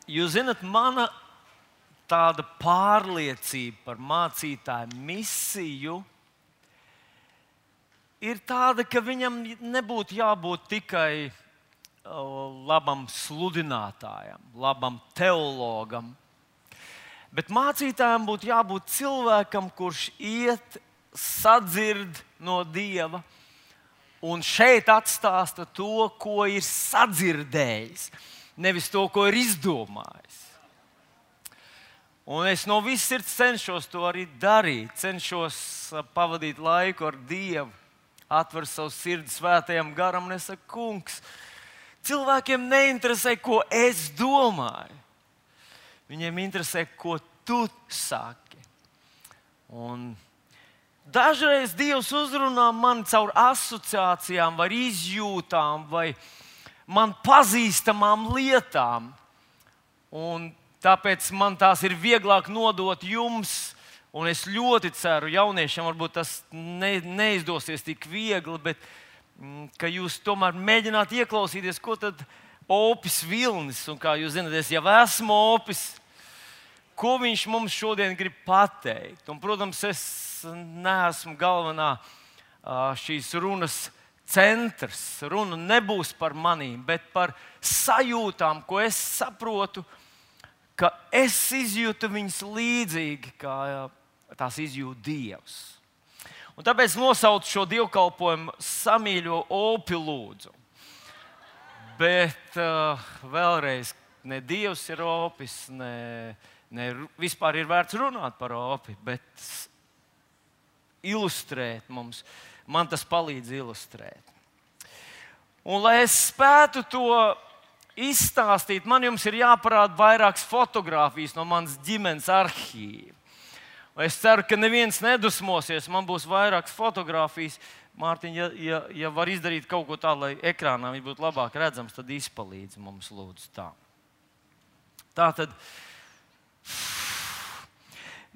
Jūs zināt, mana tāda pārliecība par mācītāju misiju ir tāda, ka viņam nebūtu jābūt tikai labam sludinātājam, labam teologam, bet mācītājam būtu jābūt cilvēkam, kurš iet, sadzird no Dieva un šeit atstāsta to, ko ir sadzirdējis, nevis to, ko ir izdomājis. Un es no visas sirds cenšos to arī darīt, cenšos pavadīt laiku ar Dievu, atver savu sirdi svētajam garam un es saku, kungs, cilvēkiem neinteresē, ko es domāju. Viņiem interesē, ko tu saki. Un dažreiz Dievs uzrunā mani caur asociācijām, vai izjūtām, vai man pazīstamām lietām. Un tāpēc man tās ir vieglāk nodot jums. Un es ļoti ceru, jauniešiem varbūt tas neizdosies tik viegli, bet ka jūs tomēr mēģināt ieklausīties, ko tad Opis Vilnis, un kā jūs zināt, es jau esmu Opis, ko viņš mums šodien grib pateikt. Un, protams, es neesmu galvenā šīs runas centrs. Runa nebūs par manīm, bet par sajūtām, ko es saprotu, ka es izjūtu viņas līdzīgi, kā tās izjūt Dievs. Un tāpēc nosaucu šo dievkalpojumu Samīļo Opi lūdzu. Bet vēlreiz, ne Dievs ir Opis, ne vispār ir vērts runāt par Opi, bet ilustrēt mums. Man tas palīdz ilustrēt. Un, lai es spētu to izstāstīt, man jums ir jāparāda vairākas fotogrāfijas no manas ģimenes arhīva. Es ceru, ka neviens nedusmosies. Man būs vairākas fotogrāfijas. Mārtiņ, ja var izdarīt kaut ko tādu, lai ekrānā viņš būtu labāk redzams, tad izpalīdzi mums, lūdzu, tā. Tātad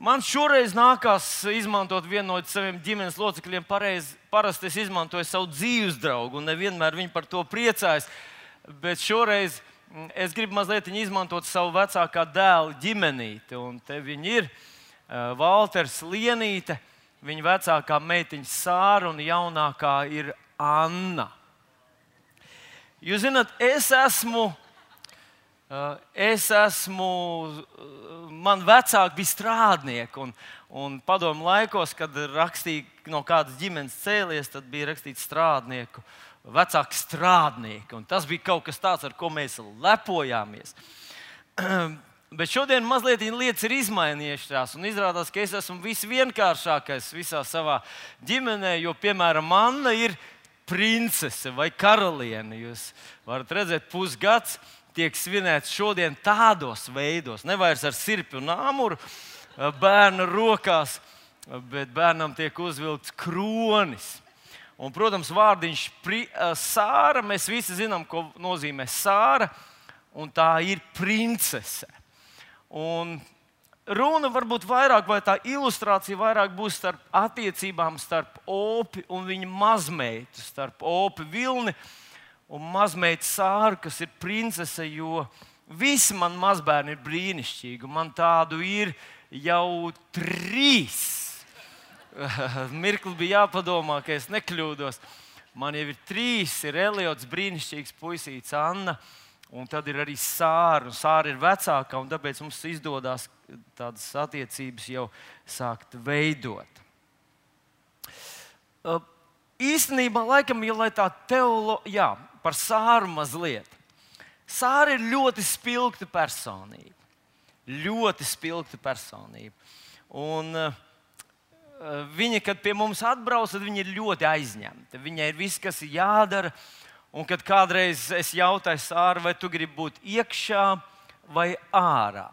man šoreiz nākās izmantot vienu no saviem ģimenes locekļiem. Parasti es izmantoju savu dzīves draugu, un nevienmēr viņi par to priecājas. Bet šoreiz es gribu mazliet izmantot savu vecākā dēla ģimenīti. Un te viņi ir Valters Lienīte, viņa vecākā meitiņa Sāra un jaunākā ir Anna. Jūs zināt, man vecāki bija strādnieki, un padomu laikos, kad rakstīja no kādas ģimenes cēlies, tad bija rakstīts strādnieku, vecāki strādnieki. Un tas bija kaut kas tāds, ar ko mēs lepojāmies. Bet šodien mazliet lietas ir izmainījušās, un izrādās, ka es esmu visvienkāršākais visā savā ģimenē, jo, piemēram, Anna ir princese vai karaliene. Jūs varat redzēt, pusgads tiek svinēts šodien tādos veidos, nevairs ar sirpi un āmuru bērna rokās, bet bērnam tiek uzvilkts kronis. Un, protams, vārdiņš Sāra, mēs visi zinām, ko nozīmē Sāra, un tā ir princese. Un runa varbūt vairāk, vai tā ilustrācija vairāk būs starp attiecībām starp Opi un viņa mazmeitu, starp Opi Vilni un mazmeitu Sāru, kas ir princese, jo visi man mazbērni ir brīnišķīgi. Man tādu ir jau 3. Mirkli bija jāpadomā, ka es nekļūdos. Man jau ir 3, ir Eliots, brīnišķīgs puisīts, Anna. Un tad ir arī Sāra, un Sāra ir vecākā, un tāpēc mums izdodas tādas attiecības jau sākt veidot. Īstenībā, laikam, ja lai tā par Sāru mazliet. Sāra ir ļoti spilgta personība. Ļoti spilgta personība. Un viņa, kad pie mums atbrauc, tad viņa ir ļoti aizņemta. Viņai ir viss, kas ir jādara. Un kad kādreiz es jautāju Sāru, vai tu gribi būt iekšā vai ārā,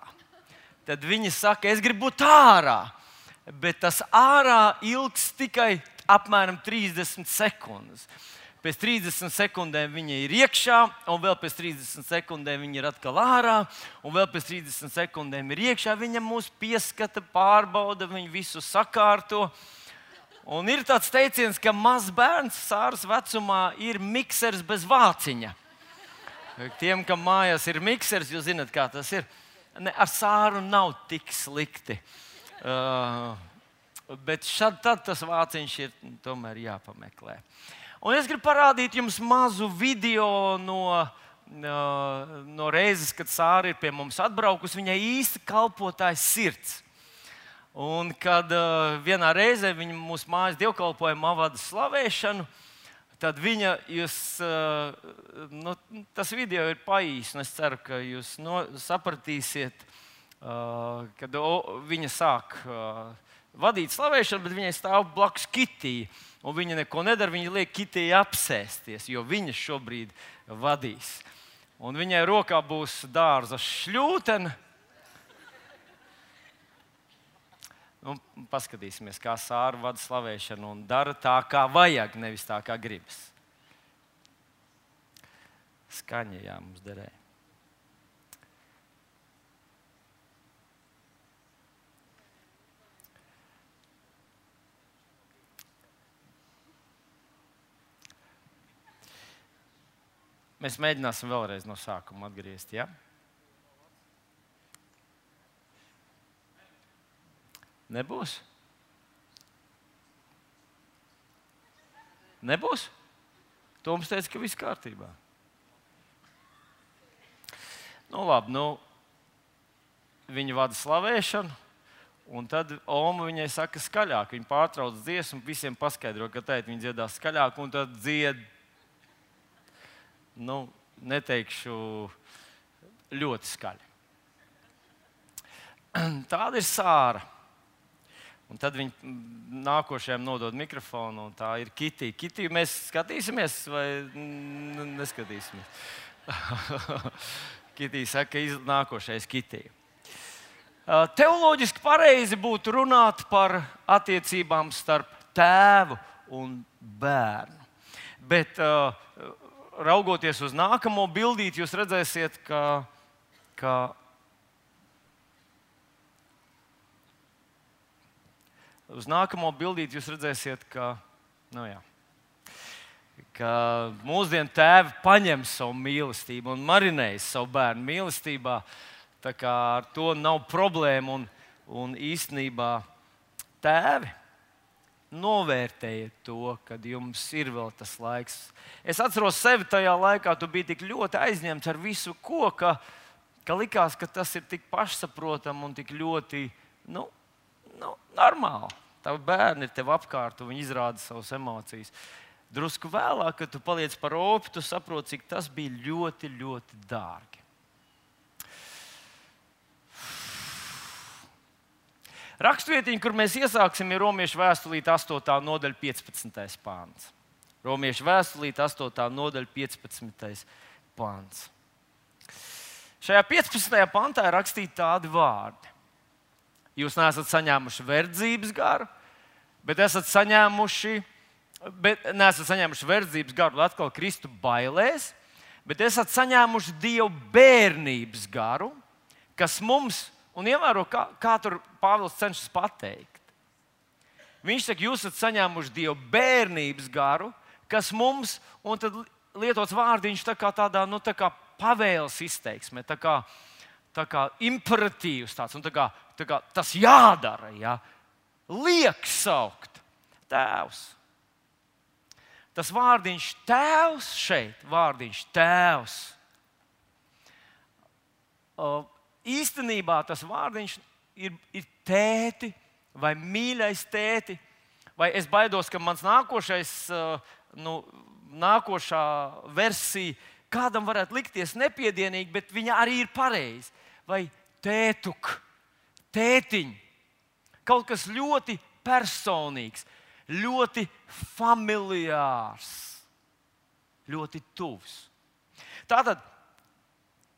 tad viņa saka, es gribu būt ārā, bet tas ārā ilgs tikai apmēram 30 sekundes. Pēc 30 sekundēm viņa ir iekšā, un vēl pēc 30 sekundēm viņa ir atkal ārā, un vēl pēc 30 sekundēm ir iekšā. Viņa mūs pieskata, pārbauda, viņa visu sakārto. Un ir tāds teiciens, ka mazs bērns Sāras vecumā ir miksers bez vāciņa. Tiem, kam mājās ir miksers, jūs zināt, kā tas ir. Ne, ar Sāru nav tik slikti. Bet tad tas vāciņš ir tomēr jāpameklē. Un es gribu parādīt jums mazu video no reizes, kad Sāra ir pie mums atbraukusi. Viņai īsti kalpotājs sirds. Un kad vienā reizē viņa mūsu mājas dievkalpojumā vada slavēšanu, tad viņa, tas video ir paīs, un es ceru, ka jūs sapratīsiet, kad viņa sāk vadīt slavēšanu, bet viņai stāv blakus Kitija, un viņa neko nedara, viņa liek Kitijai apsēsties, jo viņa šobrīd vadīs. Un viņai rokā būs dārza šļūtene. Paskatīsimies, kā Sāra vada slavēšanu un dara tā, kā vajag, nevis tā, kā gribas. Skaņa, jā, mums derēja. Mēs mēģināsim vēlreiz no sākuma atgriezt, jā? Nebūs? Nebūs? Toms teica, ka viss kārtībā. Labi, viņa vada slavēšanu, un tad Oma viņai saka skaļāk. Viņa pārtrauc dziesmu, visiem paskaidro, ka tēt viņa dziedās skaļāk, un tad dzied, neteikšu, ļoti skaļi. Tāda ir Sāra. Un tad viņi nākošajam nodod mikrofonu, un tā ir Kitija. Kitiju mēs skatīsimies vai neskatīsimies? Kitija saka, ka nākošais Kitija. Teoloģiski pareizi būtu runāt par attiecībām starp tēvu un bērnu. Bet raugoties uz nākamo bildīti, jūs redzēsiet, ka uz nākamo bildīti jūs redzēsiet, ka mūsdienu tēvi paņem savu mīlestību un marinējas savu bērnu mīlestībā. Tā kā ar to nav problēma. Un īstenībā tēvi novērtējiet to, kad jums ir vēl tas laiks. Es atceros sevi tajā laikā, tu biji tik ļoti aizņemts ar visu ko, ka likās, ka tas ir tik pašsaprotami un tik ļoti normāli. Tavi bērni ir tev apkārt, un viņi izrāda savas emocijas. Drusku vēlāk, kad tu paliec par opi, tu saproti, cik tas bija ļoti, ļoti dārgi. Rakstvietiņa, kur mēs iesāksim, ir Romiešu vēstulīte 8. nodaļa 15. pāns. Romiešu vēstulīte 8. nodaļa 15. pāns. Šajā 15. pantā ir rakstīti tādi vārdi. Jūs neesat saņēmuši verdzības garu, bet neesat saņēmuši verdzības garu, lai atkal kristu bailēs, bet esat saņēmuši Dieva bērnības garu, kas mums, un ievēro, kā tur Pāvils cenšas pateikt. Viņš saka, jūs esat saņēmuši Dieva bērnības garu, kas mums, un tad lietots vārdiņš tā kā tādā, tā kā pavēles izteiksmē, tā kā imperatīvs tāds, un tā kā tas jādara, ja? Liek saukt tēvs. Tas vārdiņš tēvs šeit, vārdiņš tēvs. Īstenībā tas vārdiņš ir tēti vai mīļais tēti, vai es baidos, ka mans nākošā versija kādam varētu likties nepiedienīga, bet viņa arī ir pareiza. Vai tētuk, tētiņ. Kaut kas ļoti personīgs, ļoti familiārs, ļoti tuvs. Tātad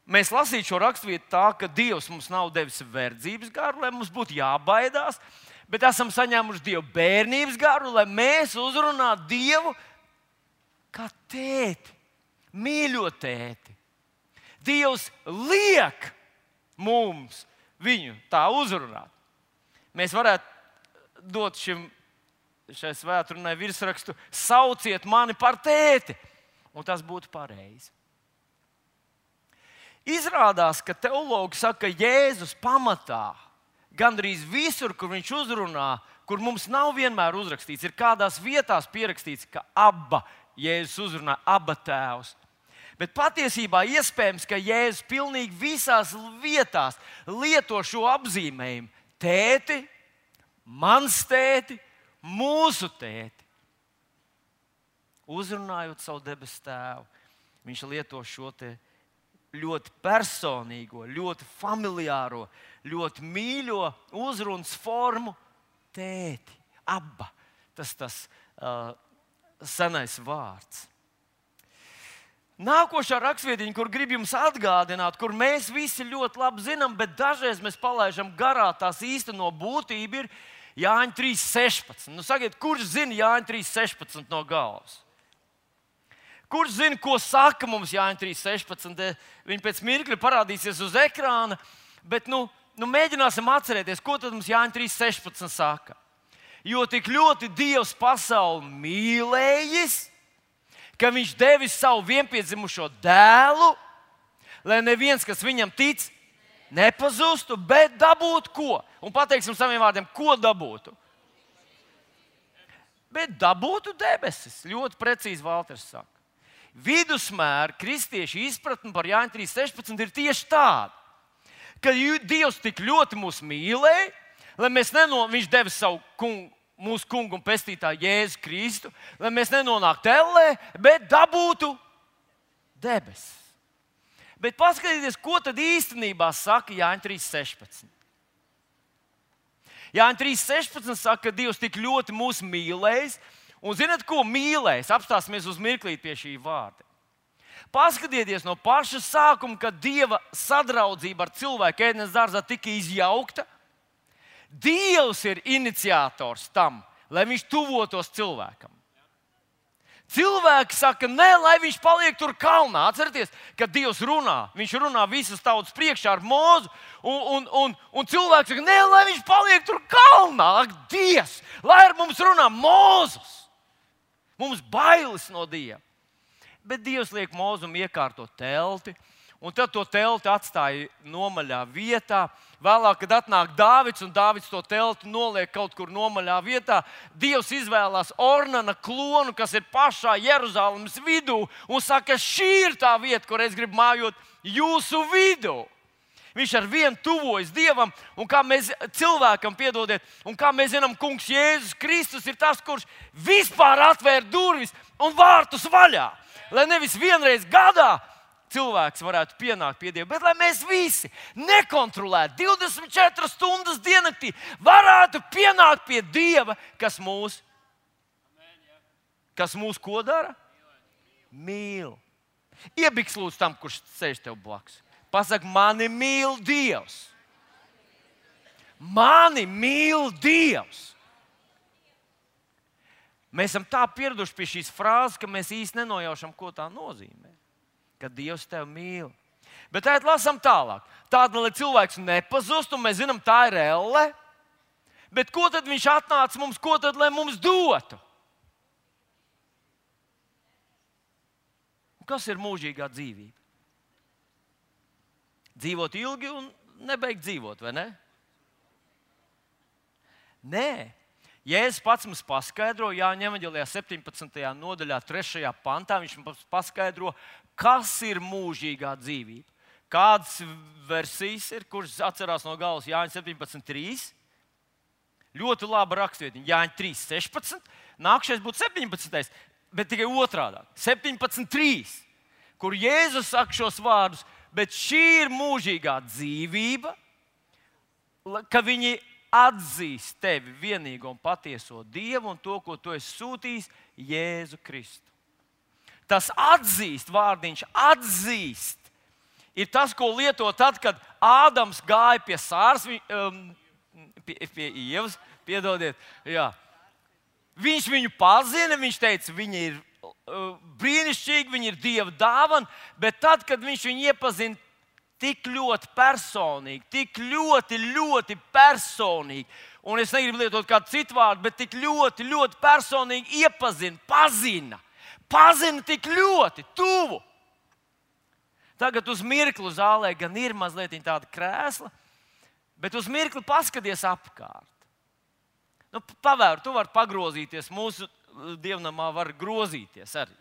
mēs lasītu šo raksturvietu tā, ka Dievs mums nav devis verdzības garu, lai mums būtu jābaidās, bet esam saņēmuši Dieva bērnības garu, lai mēs uzrunātu Dievu kā tēti, mīļo tēti. Dievs liek mums viņu tā uzrunāt. Mēs varētu dot šai svētdienai virsrakstu: sauciet mani par tēti, un tas būtu pareizi. Izrādās, ka teologi saka, ka Jēzus pamatā gandrīz visur, kur viņš uzrunā, kur mums nav vienmēr uzrakstīts, ir kādās vietās pierakstīts, ka Abba Jēzus uzrunā, Abba tēvs. Bet patiesībā iespējams, ka Jēzus pilnīgi visās vietās lieto šo apzīmējumu: tēti, mans tēti, mūsu tēti. Uzrunājot savu debesu tēvu, viņš lieto šo te ļoti personīgo, ļoti familiāro, ļoti mīļo uzrunas formu tēti, Abba. Tas senais vārds. Nākošā rakstvietiņa, kur grib jums atgādināt, kur mēs visi ļoti labi zinām, bet dažreiz mēs palaidām garā tās īsteno būtību, ir Jāņa 3.16. Nu, sakiet, kurš zina Jāņa 3.16 no galvas? Kurš zina, ko saka mums Jāņa 3.16? Viņi pēc mirkļa parādīsies uz ekrāna, bet mēģināsim atcerēties, ko tad mums Jāņa 3.16 saka. Jo tik ļoti Dievs pasauli mīlējis, ka viņš devis savu vienpiedzimušo dēlu, lai neviens, kas viņam tic, nepazustu, bet dabūtu ko? Un pateiksim saviem vārdiem, ko dabūtu? Bet dabūtu debesis. Ļoti precīzi Valters saka. Vidusmēra kristiešu izpratne par Jāņa 3.16 ir tieši tāda, ka Dievs tik ļoti mūs mīlēja, lai mēs viņš deva savu mūsu kungu un pestītāju Jēzu Kristu, lai mēs nenonāktu ellē, bet dabūtu debesis. Bet paskatieties, ko tad īstenībā saka Jāņa 3.16. Jāņa 3.16 saka, ka Dievs tik ļoti mūs mīlējis, un zināt, ko mīlējis? Apstāsimies uz mirklīt pie šī vārda. Paskatieties no paša sākuma, kad Dieva sadraudzība ar cilvēku ēdienas dārzā tika izjaukta. Dievs ir iniciators tam, lai viņš tuvotos cilvēkam. Cilvēki saka, nē, lai viņš paliek tur kalnā. Atcerieties, kad Dievs runā, viņš runā visas tautas priekšā ar Mūzu, un cilvēki saka, nē, lai viņš paliek tur kalnā. Ak, Dievs, lai ar mums runā Mūzus. Mums bailes no Dieva. Bet Dievs liek Mūzum iekārtot telti, un tad to telti atstāja nomaļā vietā. Vēlāk, kad atnāk Dāvids, un Dāvids to telti noliek kaut kur nomaļā vietā, Dievs izvēlās Ornana klonu, kas ir pašā Jeruzalemes vidū, un saka, šī ir tā vieta, kur es gribu mājot jūsu vidū. Viņš ar vienu tuvojas Dievam, un kā mēs cilvēkam, piedodiet, un kā mēs zinām, kungs Jēzus Kristus ir tas, kurš vispār atvēra durvis un vārtus vaļā. Lai nevis vienreiz gadā cilvēks varētu pienākt pie Dieva, bet lai mēs visi nekontrolēti 24 stundas diennaktī varētu pienākt pie Dieva, kas mūs ko dara? Mīl. Iebiks lūdzu tam, kurš sēž tev blakus. Pasaka, mani mīl Dievs. Mani mīl Dievs. Mēs esam tā pieraduši pie šīs frāzes, ka mēs īsti nenojaušam, ko tā nozīmē. Ka Dievs tevi mīl. Bet tā lasām tālāk. Tāda, lai cilvēks nepazust, un mēs zinām, tā ir elle. Bet ko tad viņš atnāca mums, ko tad, lai mums dotu? Un kas ir mūžīgā dzīvība? Dzīvot ilgi un nebeigt dzīvot, vai ne? Nē. Jēzus pats mums paskaidro, Jāņa evaņģēlijā 17. nodaļā, 3. pantā, viņš mums paskaidro, kas ir mūžīgā dzīvība. Kādas versijas ir, kuras atcerās no galvas Jāņa 17.3? Ļoti laba rakstvietiņa. Jāņa 3.16. Nākšais būtu 17. bet tikai otrādā. 17.3. Kur Jēzus saka šos vārdus, bet šī ir mūžīgā dzīvība, ka viņi atzīst tevi vienīgo un patieso Dievu un to, ko tu esi sūtījis, Jēzu Kristu. Tas atzīst, vārdiņš atzīst, ir tas, ko lieto tad, kad Ādams gāja pie Sāras, pie Ievas, piedodiet, jā. Viņš viņu pazina, viņš teica, viņa ir brīnišķīga, viņa ir Dieva dāvana, bet tad, kad viņš viņu iepazina tik ļoti personīgi, tik ļoti personīgi, un es negribu lietot kādu citu vārdu, bet tik ļoti personīgi iepazina, pazina tik ļoti tuvu. Tagad uz mirkli zālē gan ir mazliet tāda krēsla, bet uz mirkli paskaties apkārt. Nu, pavēr, tu vari pagrozīties, mūsu dievnamā var grozīties arī.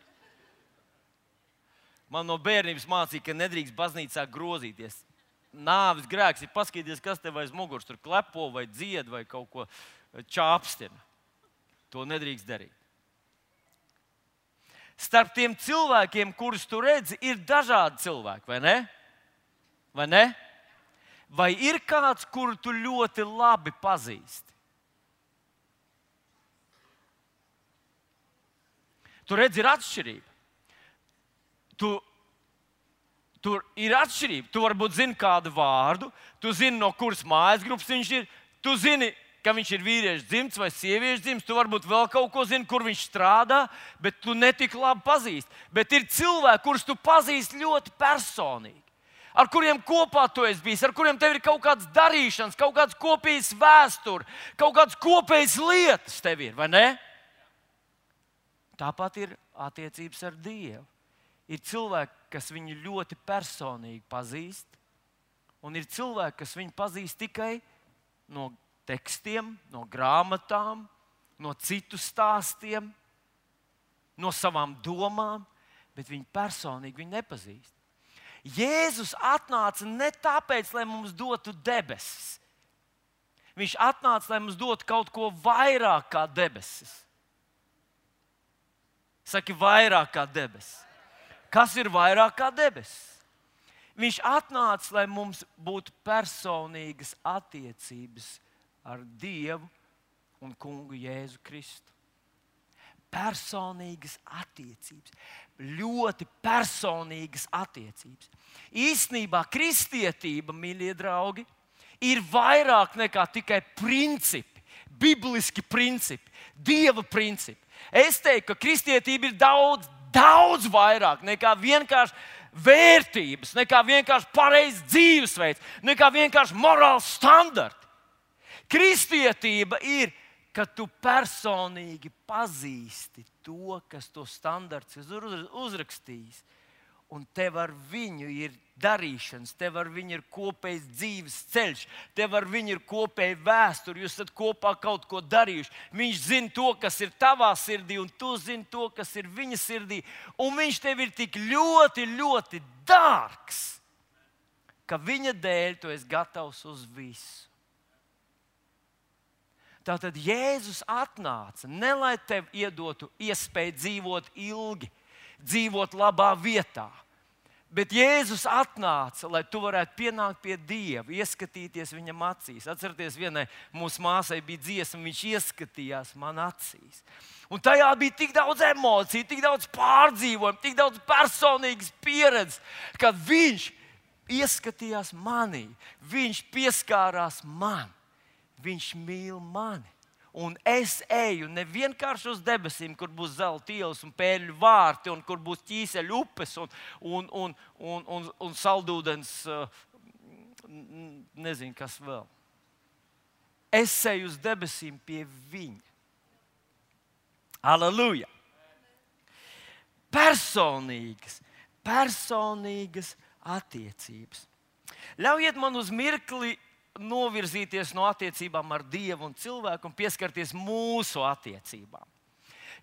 Man no bērnības mācīja, ka nedrīkst baznīcā grozīties. Nāves grēks ir paskatīties, kas tev aiz muguras tur klepo vai dzied vai kaut ko čāpstina. To nedrīkst darīt. Starp tiem cilvēkiem, kurus tu redzi, ir dažādi cilvēki, vai ne? Vai ne? Vai ir kāds, kuru tu ļoti labi pazīsti? Tu redzi, ir atšķirība. Tur ir atšķirība. Tu varbūt zini kādu vārdu, tu zini, no kuras mājas grupas viņš ir, tu zini, ka viņš ir vīriešu dzimts vai sieviešu dzimts, tu varbūt vēl kaut ko zini, kur viņš strādā, bet tu netik labi pazīsti. Bet ir cilvēki, kurus tu pazīsti ļoti personīgi, ar kuriem kopā tu esi bijis, ar kuriem tev ir kaut kādas darīšanas, kaut kādas kopīgas vēstures, kaut kādas kopējas lietas tev ir, vai ne? Tāpat ir attiecības ar Dievu. Ir cilvēki, kas viņu ļoti personīgi pazīst, un ir cilvēki, kas viņu pazīst tikai no tekstiem, no grāmatām, no citu stāstiem, no savām domām, bet viņi personīgi viņu nepazīst. Jēzus atnāca ne tāpēc, lai mums dotu debesis. Viņš atnāca, lai mums dotu kaut ko vairāk kā debesis. Saki, vairāk kā debesis. Kas ir vairāk kā debesis? Viņš atnāca, lai mums būtu personīgas attiecības ar Dievu un Kungu Jēzu Kristu. Personīgas attiecības. Ļoti personīgas attiecības. Īstenībā kristietība, mīļie draugi, ir vairāk nekā tikai principi, bibliski principi, Dieva principi. Es teiktu, ka kristietība ir daudz vairāk nekā vienkārši vērtības, nekā vienkārši pareizs dzīvesveids, nekā vienkārši morāls standarti. Kristietība ir, ka tu personīgi pazīsti to, kas to standarts ir uzrakstījis. Un tev ar viņu ir darīšanas, tev ar viņu ir kopējs dzīves ceļš, tev ar viņu ir kopēja vēsture, jūs esat kopā kaut ko darījuši. Viņš zina to, kas ir tavā sirdī, un tu zini to, kas ir viņa sirdī. Un viņš tev ir tik ļoti, ļoti dārgs, ka viņa dēļ tu esi gatavs uz visu. Tātad Jēzus atnāca ne lai tev iedotu iespēju dzīvot ilgi, dzīvot labā vietā. Bet Jēzus atnāca, lai tu varētu pienākt pie Dieva, ieskatīties viņam acīs. Atcerieties, vienai mūsu māsai bija dziesma, viņš ieskatījās man acīs. Un tajā bija tik daudz emociju, tik daudz pārdzīvojumu, tik daudz personīgas pieredzes, kad viņš ieskatījās manī, viņš pieskārās man, viņš mīl mani. Un es eju ne vienkārši uz debesīm, kur būs zelta ielas un pērļu vārti, un kur būs ķīseļu upes un saldūdens, nezinu, kas vēl. Es eju uz debesīm pie viņa. Halleluja! Personīgas attiecības. Ļaujiet man uz mirkli novirzīties no attiecībām ar Dievu un cilvēku un pieskarties mūsu attiecībām.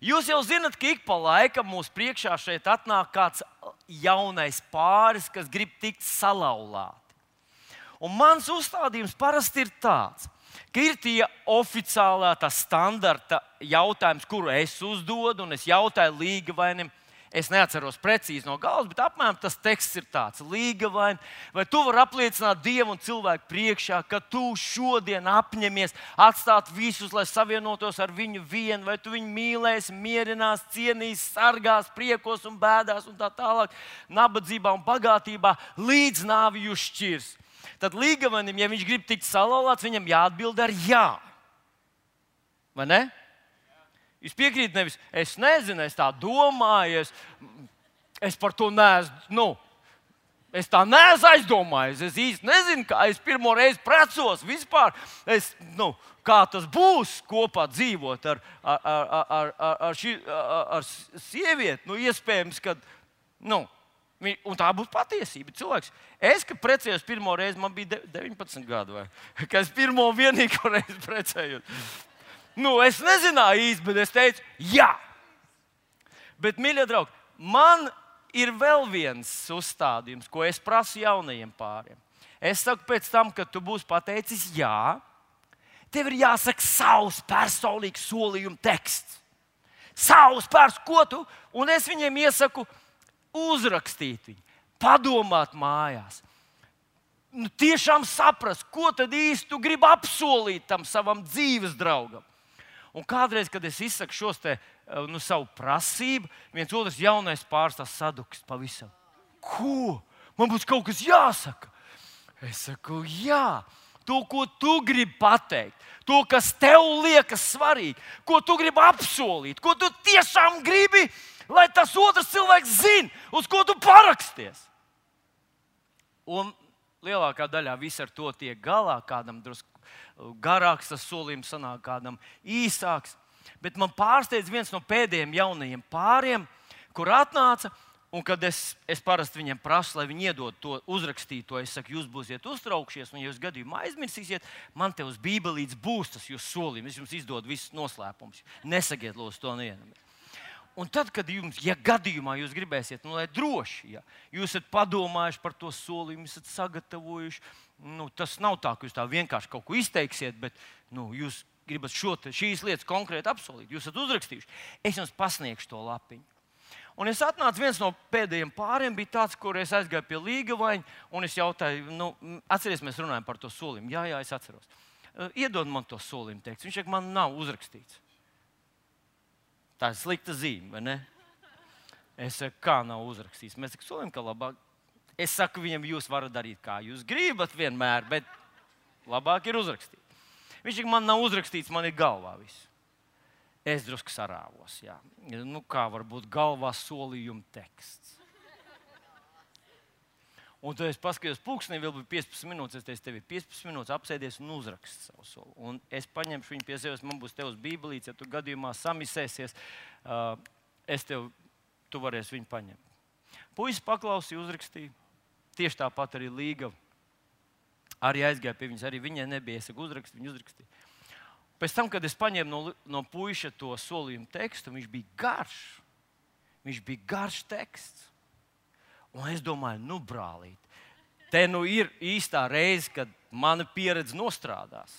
Jūs jau zinat, ka ik pa laikam mūsu priekšā šeit atnāk kāds jaunais pāris, kas grib tikt salauzti. Un mans uzstādījums parasti ir tāds, ka ir tie oficiālā, tā standarta jautājums, kuru es uzdodu, un es jautāju līgavainim. Es neatceros precīzi no galvas, bet apmēram tas teksts ir tāds: līgavaini, vai tu vari apliecināt Dievu un cilvēku priekšā, ka tu šodien apņemies atstāt visus, lai savienotos ar viņu vienu, vai tu viņu mīlēsi, mierinās, cienīs, sargās, priekos un bēdās un tā tālāk, nabadzībā un bagātībā, līdz nāvi jūs šķirs. Tad līgavanim, ja viņš grib tikt salauzts, viņam jāatbild ar jā. Vai ne? Jūs piekrītat, nevis es nezinu, es tā domāju, es par to neesmu, es tā neesmu aizdomājies, es īsti nezinu, kā es pirmo reizi precos vispār, kā tas būs kopā dzīvot ar sievieti, iespējams, ka, Un tā būtu patiesība. Cilvēks, kad precējos pirmo reizi, man bija 19 gadi, kad es pirmo vienīgo reizi precējos. Es nezināju īsti, bet es teicu, jā. Bet, mīļie draugi, man ir vēl viens uzstādījums, ko es prasu jaunajiem pāriem. Es saku, pēc tam, kad tu būsi pateicis jā, tev ir jāsaka savs personīgs solījuma teksts. Savs ko tu, un es viņiem iesaku uzrakstīt viņu, padomāt mājās. Tiešām saprast, ko tad īsti tu gribi apsolīt tam savam dzīves draugam. Un kādreiz, kad es izsaku šos savu prasību, viens otrs jaunais pārstāvs sadukst pavisam. Ko? Man būs kaut kas jāsaka. Es saku, jā, to, ko tu gribi pateikt, to, kas tev liekas svarīgi, ko tu gribi apsolīt, ko tu tiešām gribi, lai tas otrs cilvēks zina, uz ko tu paraksties. Un lielākā daļā viss ar to tiek galā, kādam drusku garāks tas solījums sanāk, kādam īsāks. Bet man pārsteidz viens no pēdējiem jaunajiem pāriem, kur atnāca, un kad es parasti viņiem prasu, lai viņi iedod to uzrakstīto, es saku, jūs būsiet uztraukšies, un ja jūs gadījumā aizmirsīsiet, man te uz bībelītes būs tas jūsu solījums, es jums izdodu visus noslēpumus. Nesakiet, lūdzu, to nevienam. Un tad, kad jums, ja gadījumā jūs gribēsiet, lai droši, ja jūs esat padomājuši par to solījumu, esat sagatavojuši, tas nav tā, ka jūs tā vienkārši kaut ko izteiksiet, bet jūs gribat šīs lietas konkrēti apsolīt, jūs esat uzrakstījuši, es jums pasniegšu to lapiņu. Un es atnācu, viens no pēdējiem pāriem bija tāds, kur es aizgāju pie Līgavaņa, un es jautāju, atceries, mēs runājam par to solījumu. Jā, es atceros. Iedod man to solījumu tekstu. Viņš saka, man nav uzrakstīts. Tā ir slikta zīme, vai ne? Es saku, kā nav uzrakstīts? Mēs sakām, ka labāk. Es saku viņam, jūs varat darīt, kā jūs gribat vienmēr, bet labāk ir uzrakstīt. Viņš saka, man nav uzrakstīts, man ir galvā viss. Es drusku sarāvos, jā. Kā var būt galvā solījuma teksts? Un tad es paskatījos pulkstenī, vēl bija 15 minūtes. Es teicu, tev ir 15 minūtes apsēdies un uzrakst savu soli. Un es paņemšu viņu pie sevis, man būs tev uz bībelītes, ja tu gadījumā samisēsies, tu varēsi viņu paņemt. Puisis paklausīja, uzrakstīja. Tieši tāpat arī Līgava. Arī aizgāja pie viņas, arī viņai nebija. Es saku, uzrakst, viņa uzrakstīja. Pēc tam, kad es paņēmu no puiša to solījumu tekstu, viņš bija garš. Viņš bija garš teksts. Un es domāju, brālīt, te ir īstā reize, kad mana pieredze nostrādās.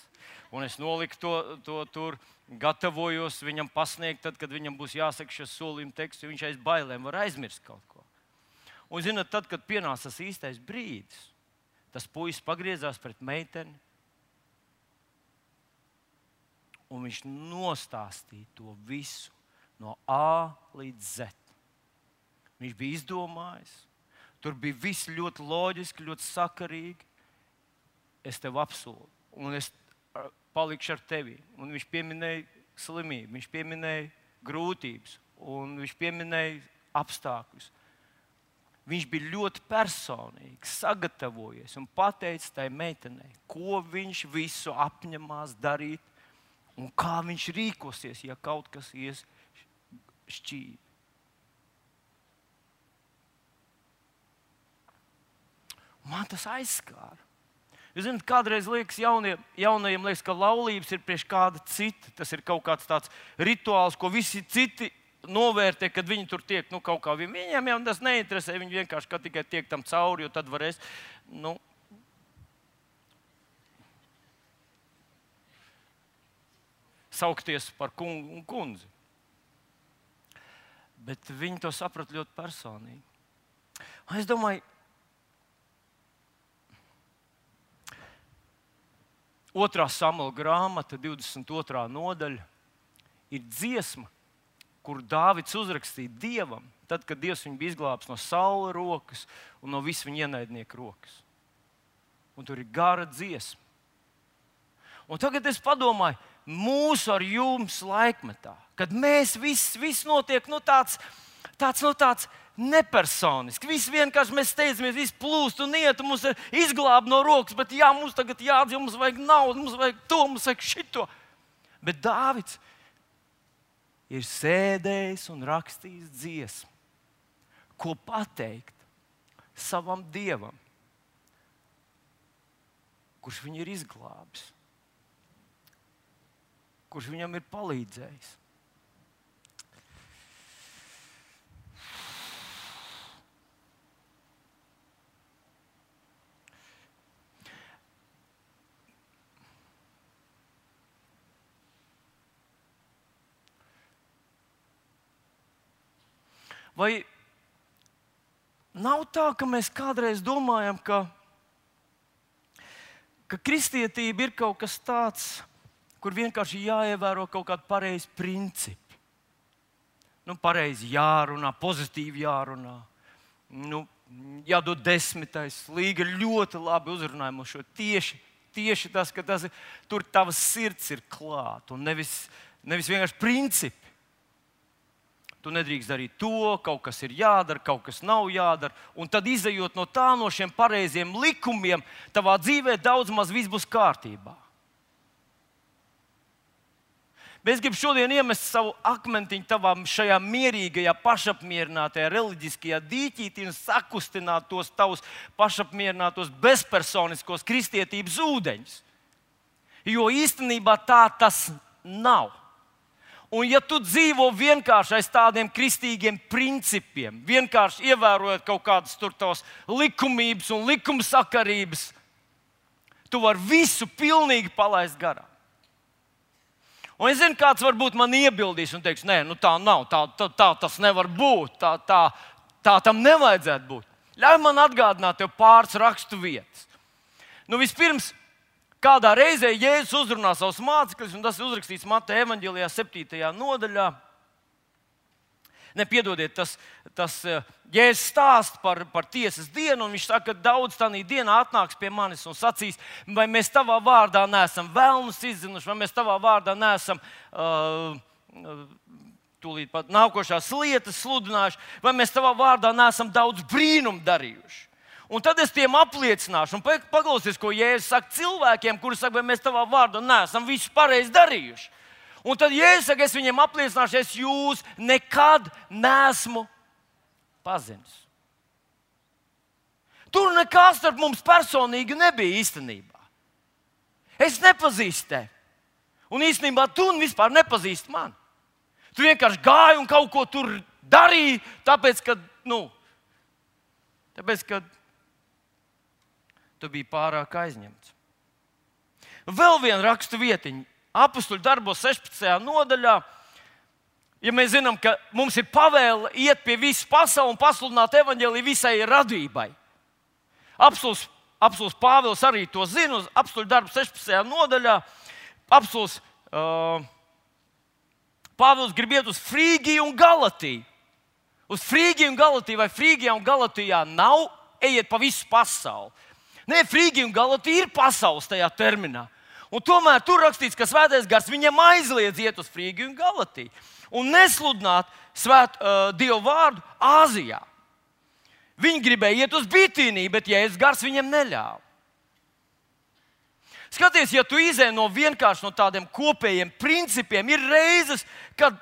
Un es noliku to tur, gatavojos viņam pasniegt, tad, kad viņam būs jāsaka šis solījuma teksts, jo viņš aiz bailēm var aizmirst kaut ko. Un, zināt, tad, kad pienāca tas īstais brīdis, tas puisis pagriezās pret meiteni, un viņš nostāstīja to visu no A līdz Z. Viņš bija izdomājis. Tur bija viss ļoti loģiski, ļoti sakarīgi. Es tev apsolu, un es palikšu ar tevi. Un viņš pieminēja slimību, viņš pieminēja grūtības, un viņš pieminēja apstākļus. Viņš bija ļoti personīgi sagatavojies un pateicis tai meitenei, ko viņš visu apņemās darīt un kā viņš rīkosies, ja kaut kas ies šķīvi. Man tas aizskāra. Jūs zināt, kādreiz liekas jaunajiem liekas, ka laulības ir priekš kāda cita. Tas ir kaut kāds tāds rituāls, ko visi citi novērtē, kad viņi tur tiek kaut kā. Viņiem jau tas neinteresē, viņi vienkārši tikai tiek tam cauri, jo tad varēs, saukties par kungu un kundzi. Bet viņi to saprata ļoti personīgi. Un es domāju, 2. Samuela grāmata, 22. nodaļa, ir dziesma, kur Dāvids uzrakstīja Dievam, tad, kad Dievs viņu bija izglābis no Saula rokas un no visu viņa ienaidnieku rokas. Un tur ir gara dziesma. Un tagad es padomāju, mūsu ar jums laikmetā, kad mēs viss notiek tāds nepersoniski. Viss vienkārši mēs steidzamies, viss plūst un iet, un mums ir izglābt no rokas, bet jā, mums tagad jādzīvo, mums vajag naudu, mums vajag to, mums vajag šito. Bet Dāvids ir sēdējis un rakstījis dziesmu, ko pateikt savam Dievam, kurš viņu ir izglābis, kurš viņam ir palīdzējis. Vai nav tā, ka mēs kādreiz domājam, ka kristietība ir kaut kas tāds, kur vienkārši jāievēro kaut kādi pareizi principi? Pareizi jārunā, pozitīvi jārunā. Jādod 10. Līga ļoti labi uzrunāja mums šo tieši tas, ka tur tavas sirds ir klāt un nevis vienkārši principi. Tu nedrīkst darīt to, kaut kas ir jādara, kaut kas nav jādara. Un tad, izejot no šiem pareiziem likumiem, tavā dzīvē daudz maz viss būs kārtībā. Bet es gribu šodien iemest savu akmentiņu tavā šajā mierīgajā, pašapmierinātajā, reliģiskajā dīķītī un sakustināt tos tavus pašapmierinātos, bezpersoniskos kristietības ūdeņus. Jo īstenībā tā tas nav. Un ja tu dzīvo vienkārši aiz tādiem kristīgiem principiem, vienkārši ievērojot kaut kādas tur tavas likumības un likumsakarības, tu vari visu pilnīgi palaist garām. Un es zinu, kāds varbūt man iebildīs un teiks, nē, tā nav, tā tas nevar būt, tā tam nevajadzētu būt. Ļauj man atgādināt tev pāris rakstu vietas. Vispirms, kādā reizē Jēzus uzrunā savus mācekļus, un tas ir uzrakstīts Mateja evaņģēlijā 7. nodaļā. Nepiedodiet, tas Jēzus stāsta par tiesas dienu, un viņš saka, ka daudz tādā dienā atnāks pie manis un sacīs, vai mēs tavā vārdā neesam vēlnus izzinuši, vai mēs tavā vārdā neesam tūlīt pat nākošās lietas sludinājuši, vai mēs tavā vārdā neesam daudz brīnumu darījuši. Un tad es tiem apliecināšu, un paklausies, ko Jēzus saka cilvēkiem, kuri saka, vai mēs tavā vārdā neesam visu pareizi darījuši. Un tad Jēzus saka, es viņiem apliecināšu, es jūs nekad neesmu pazinis. Tur nekā starp mums personīgi nebija īstenībā. Es nepazīstu tevi. Un īstenībā tu vispār nepazīsti mani. Tu vienkārši gāji un kaut ko tur darīji, tāpēc, ka tu biji pārāk aizņemts. Vēl viena rakstu vietiņa. Apostuļu darbos 16. nodaļā. Ja mēs zinām, ka mums ir pavēle iet pie visas pasaules un pasludināt evaņģēliju visai radībai. Apostuls Pāvils arī to zina. Uz Apostuļu darbu 16. nodaļā. Apostuls Pāvils grib iet uz Frīgiju un Galatiju. Uz Frīgiju un Galatiju, vai Frīgijā un Galatijā nav, ejiet pa visu pasauli. Nē, Frīgija un Galatija ir pasaules tajā terminā. Un tomēr tur rakstīts, ka Svētais Gars viņam aizliedz iet uz Frīgiju un Galatiju un nesludināt Dievu vārdu Āzijā. Viņi gribēja iet uz Bitīniju, bet Jēzus Gars viņam neļāva. Skaties, ja tu izej vienkārši no tādiem kopējiem principiem, ir reizes, kad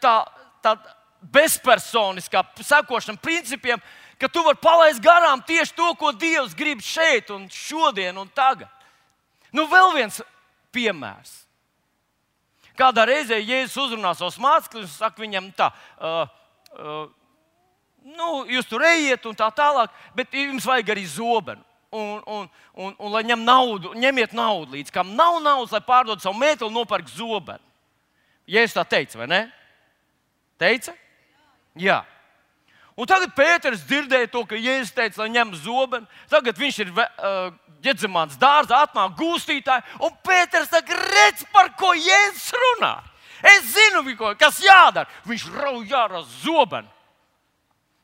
tā bezpersoniskā sekošana principiem, ka tu vari palaist garām tieši to, ko Dievs grib šeit un šodien un tagad. Vēl viens piemērs. Kādā reizē Jēzus uzrunā savus mācekļus un saka viņam tā, jūs tur ejiet un tā tālāk, bet jums vajag arī zobenu. Un lai ņemiet naudu līdz, kam nav naudas, lai pārdod savu mēteli un nopērk zobenu. Jēzus tā teica, vai ne? Teica? Jā. Un tagad Pēters dzirdēja to, ka Jēzus teica, lai ņem zobenu. Tagad viņš ir Ģedzemānas dārzā, atnāk gūstītāji, un Pēters saka, redz, par ko Jēzus runā. Es zinu, kas jādara. Viņš rauj ārā zobenu.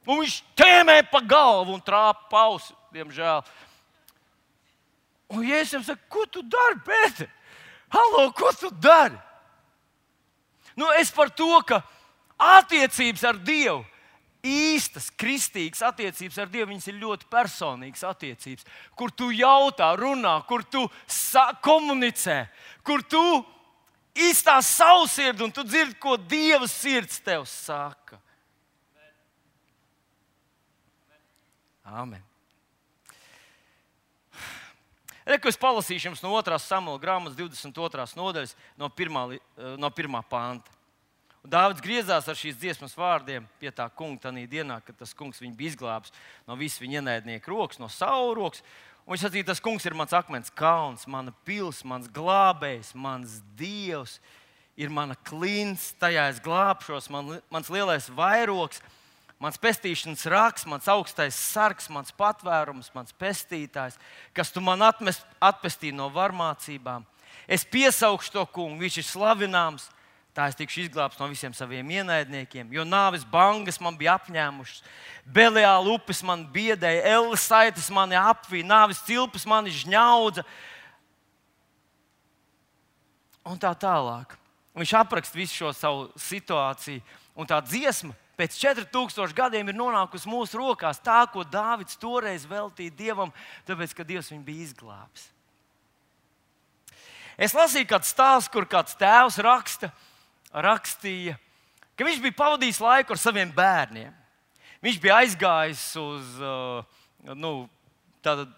Un viņš tēmē pa galvu un trāpa pausi, diemžēl. Un Jēzus saka, ko tu dari, Pēter? Halo, ko tu dari? Es par to, ka attiecības ar Dievu, īstas, kristīgas attiecības ar Dievu, viņas ir ļoti personīgas attiecības, kur tu jautā, runā, kur tu komunicē, kur tu izstāsti savu sirdi un tu dzirdi, ko Dieva sirds tev saka. Āmen. Reku es palasīšu jums no 2. Samuela grāmatas 22. nodaļas no 1. panta. Un Dāvids griezās ar šīs dziesmas vārdiem pie tā kunga tajā dienā, kad tas kungs viņu bija izglābis no visu viņa ienaidnieku rokas, no Saula rokas. Un viņš sacīja, tas kungs ir mans akmens kalns, mana pils, mans glābējs, mans dievs, ir mana klints, tajā es glābšos, mans lielais vairogs, mans pestīšanas raks, mans augstais sargs, mans patvērums, mans pestītājs, kas tu man atpestīji no varmācībām. Es piesaukšu to kungu, viņš ir slavināms, tā es tikšu izglābts no visiem saviem ienaidniekiem, jo nāves bangas man bija apņēmušas, Beliāla upes man biedēja, Elles saites mani apvīja, nāves cilpas mani žņaudza un tā tālāk. Un viņš apraksta visu šo savu situāciju, un tā dziesma pēc 4000 gadiem ir nonākusi mūsu rokās, tā, ko Dāvids toreiz veltīja Dievam, tāpēc, ka Dievs viņu bija izglābis. Es lasīju kādu stāstu, kur kāds tēvs rakstīja, ka viņš bija pavadījis laiku ar saviem bērniem. Viņš bija aizgājis uz, tātad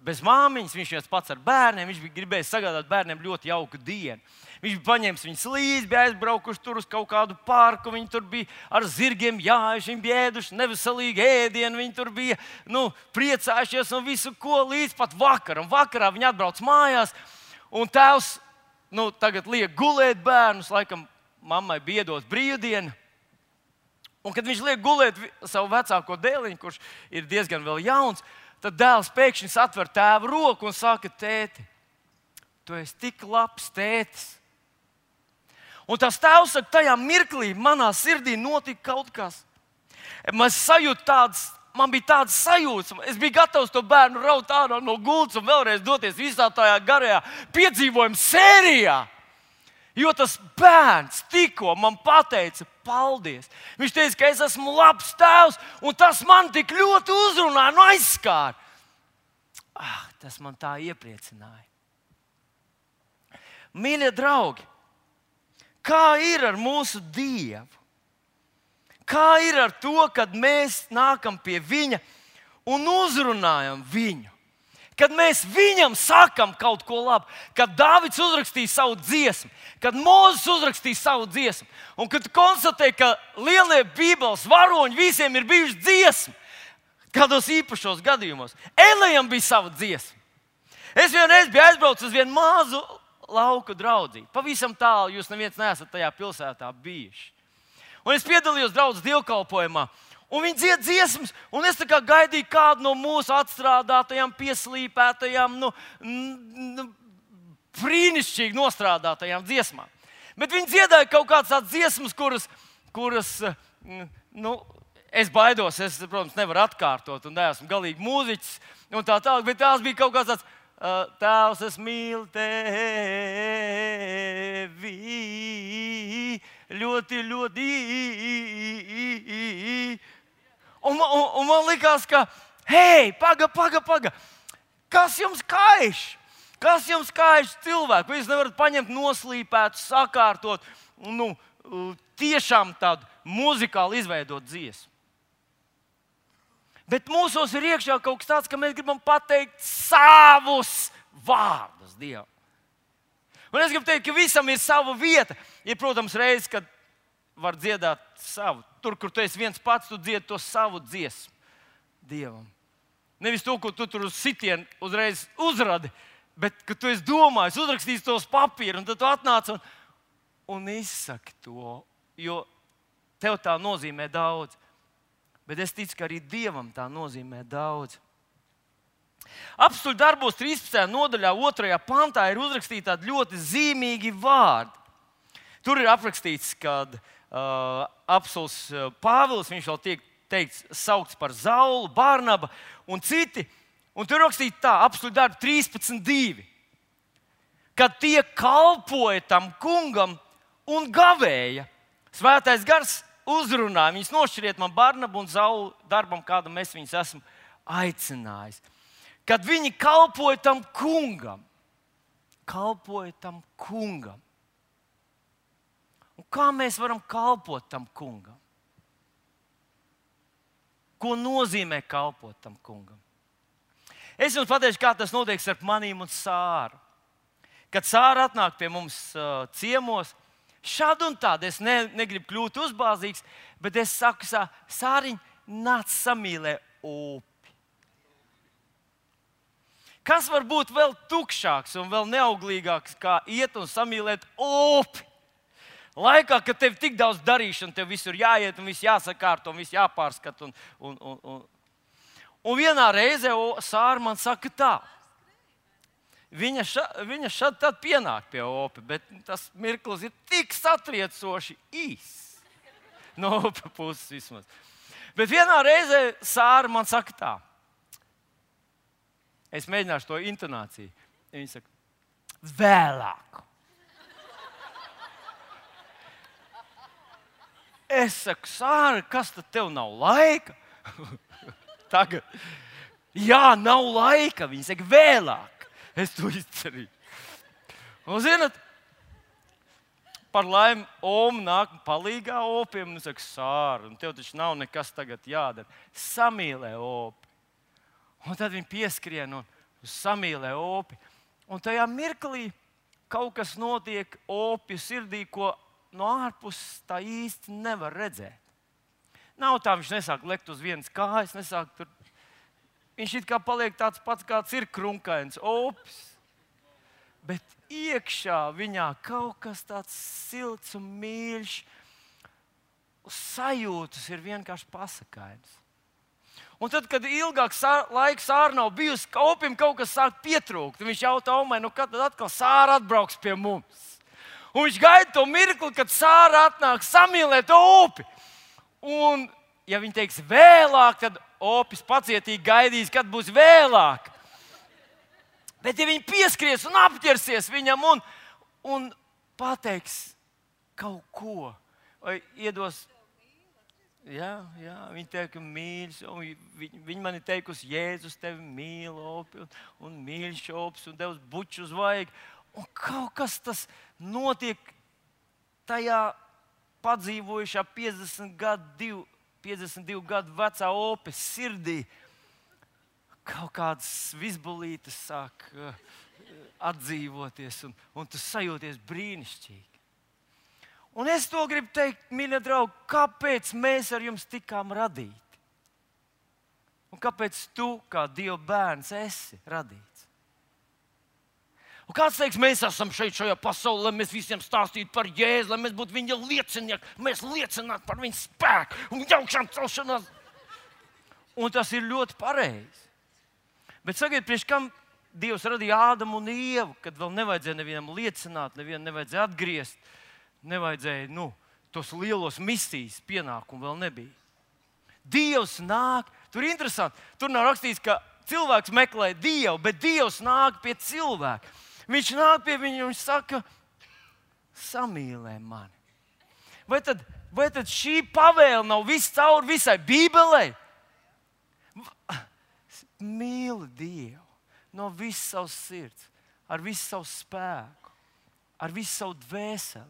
bez māmiņas, viņš viens pats ar bērniem, viņš bija gribējis sagādāt bērniem ļoti jauku dienu. Viņš bija paņēmis viņus līdzi, bija aizbraukuši tur uz kaut kādu parku, viņi tur bija ar zirgiem jājuši, viņi bija ēduši neveselīgi ēdienu, viņi tur bija priecājušies un visu ko līdz pat vakaram. Vakarā viņi atbrauc mājās, un tēvs tagad liek gulēt bērnus, laikam mammai bija iedot brīvdienu. Un kad viņš liek gulēt savu vecāko dēliņu, kurš ir diezgan vēl jauns, tad dēls pēkšņi atver tēva roku un saka, tēti, tu esi tik labs tētis. Un tas tēvs saka, tajā mirklī manā sirdī notika kaut kas. Man bija tāds sajūta, es biju gatavs to bērnu raut ārā no gultas un vēlreiz doties visā tajā garajā piedzīvojuma sērijā. Jo tas bērns tikko man pateica paldies. Viņš teica, ka es esmu labs tēvs, un tas man tik ļoti uzrunāja un aizskāra. Tas man tā iepriecināja. Mīļie draugi, kā ir ar mūsu Dievu? Kā ir ar to, kad mēs nākam pie Viņa un uzrunājam Viņu? Kad mēs Viņam sakam kaut ko labu, kad Dāvids uzrakstīja savu dziesmu, kad Mūzes uzrakstīja savu dziesmu, un kad konstatēja, ka lielie Bībeles varoņi visiem ir bijuši dziesma, kādos īpašos gadījumos. Elijam bija sava dziesma. Es vienreiz biju aizbraucis uz vienu mazu lauku draudzību. Pavisam tālu, jūs neviens neesat tajā pilsētā bijuši. Un es piedalījos draudzes dievkalpojumā, un viņi dzied dziesmas, un es tā kā gaidīju kādu no mūsu atstrādātajām, pieslīpētajām, brīnišķīgi nostrādātajām dziesmām. Bet viņi dziedāja kaut kādas tādas dziesmas, kuras es baidos, es, protams, nevaru atkārtot, un neesmu galīgi mūziķis, un tā tālāk, bet tās bija kaut kāds tāds, Tēvs, es mīlu tevi, ļoti, ļoti. Un man likās, ka, hei, paga, kas jums kaiš? Kas jums kaiš cilvēku? Vai jūs nevarat paņemt noslīpētu, sakārtot, tiešām tādu muzikāli izveidot dziesmu? Bet mūsos ir iekšā kaut kas tāds, ka mēs gribam pateikt savus vārdus Dievam. Un es gribu teikt, ka visam ir sava vieta. Ir, protams, reizes, kad var dziedāt savu. Tur, kur tu esi viens pats, tu dziedi to savu dziesmu Dievam. Nevis to, ko tu tur uz sitienu uzreiz uzradi, bet ka tu esi domājis, uzrakstījis tos papīrus, un tad tu atnāc un izsaki to, jo tev tā nozīmē daudz. Bet es ticu, ka arī Dievam tā nozīmē daudz. Apstuļu darbos 13. nodaļā, 2. pantā ir uzrakstīti tādi ļoti zīmīgi vārdi. Tur ir aprakstīts, kad apstulis Pāvils, viņš vēl tiek saukts par Zaulu, Barnaba un citi. Un tur rakstīts tā, apstuļu darbu 13.2. Kad tie kalpoja tam kungam un gavēja, Svētais Gars uzrunāja, viņus nošķiriet man Barnabu un Zaulu darbam, kādam es viņus esmu aicinājis. Kad viņi kalpoja tam kungam. Un kā mēs varam kalpot tam kungam? ko nozīmē kalpot tam kungam. Es jums pateikšu, kā tas notiek starp manīm un Sāru. Kad Sāra atnāk pie mums ciemos, šādi un tādi, es negribu kļūt uzbāzīgs, bet es saku, Sāriņ, nāc samīlē upi. Kas var būt vēl tukšāks un vēl neauglīgāks, kā iet un samīlēt upi? Laikā, kad tev tik daudz darīšana, tev visur jāiet un viss jāsakārto un viss jāpārskat. Un vienā reizē Sāra man saka tā. Viņa šad tad pienāk pie upi, bet tas mirklis ir tik satriecoši īss. No upi puses vismaz. Bet vienā reizē Sāra man saka tā. Es mēģināšu to intonāciju. Viņa saka, vēlāk. Es saku, Sāra, kas tad tev nav laika? Tagad. Jā, nav laika. Viņa saka, vēlāk. Es to izdarīju. Un zināt, par laimi, Oma nāk palīgā opiem un saka, Sāra, un tev taču nav nekas tagad jādara. Samīlē opi. Un tad viņi pieskrien un samīlē opi. Un tajā mirklī kaut kas notiek opju sirdī, ko no ārpuses tā īsti nevar redzēt. Nav tā, viņš nesāk lekt uz vienas kājas, viņš it kā paliek tāds pats, kāds ir krunkains opis. Bet iekšā viņā kaut kas tāds silts un mīļš, sajūtas ir vienkārši pasakājums. Un tad, kad ilgāks laiks Sāra nav bijusi, opim kaut kas sāk pietrūkt. Viņš jautā Omai, kad tad atkal Sāra atbrauks pie mums. Un viņš gaida to mirkli, kad Sāra atnāk samīlēt opi. Un, ja viņi teiks vēlāk, tad opis pacietīgi gaidīs, kad būs vēlāk. Bet, ja viņi pieskries un apķersies viņam un pateiks kaut ko, vai iedos. Jā, viņi teica, mīļš, viņi man ir teikusi, Jēzus tevi mīl, opi, un mīļš opis, un devs buču uz vaigu. Un kaut kas tas notiek tajā padzīvojušā 52 gadu vecā opes sirdī. Kaut kādas visbulītes sāk atdzīvoties, un tu sajūties brīnišķīgi. Un es to gribu teikt, mīļie draugi, kāpēc mēs ar jums tikām radīti? Un kāpēc tu, kā Dieva bērns, esi radīts? Un kāds teiks, mēs esam šajā pasaulē, lai mēs visiem stāstītu par Jēzu, lai mēs būtu viņa liecinieki, mēs liecinātu par viņa spēku un augšām celšanās. Un tas ir ļoti pareizi. Bet sakiet, priekš kam Dievs radīja Ādamu un Ievu, kad vēl nevajadzēja nevienam liecināt, nevienam nevajadzēja atgriezt. Nevajadzēja, tos lielos misijas pienākumu vēl nebija. Dievs nāk, tur ir interesanti, tur nav rakstīts, ka cilvēks meklē Dievu, bet Dievs nāk pie cilvēka. Viņš nāk pie viņa un viņš saka, samīlē mani. Vai tad šī pavēle nav viscaur visai Bībelei? Mīli Dievu no visas savas sirds, ar visu savu spēku, ar visu savu dvēseli.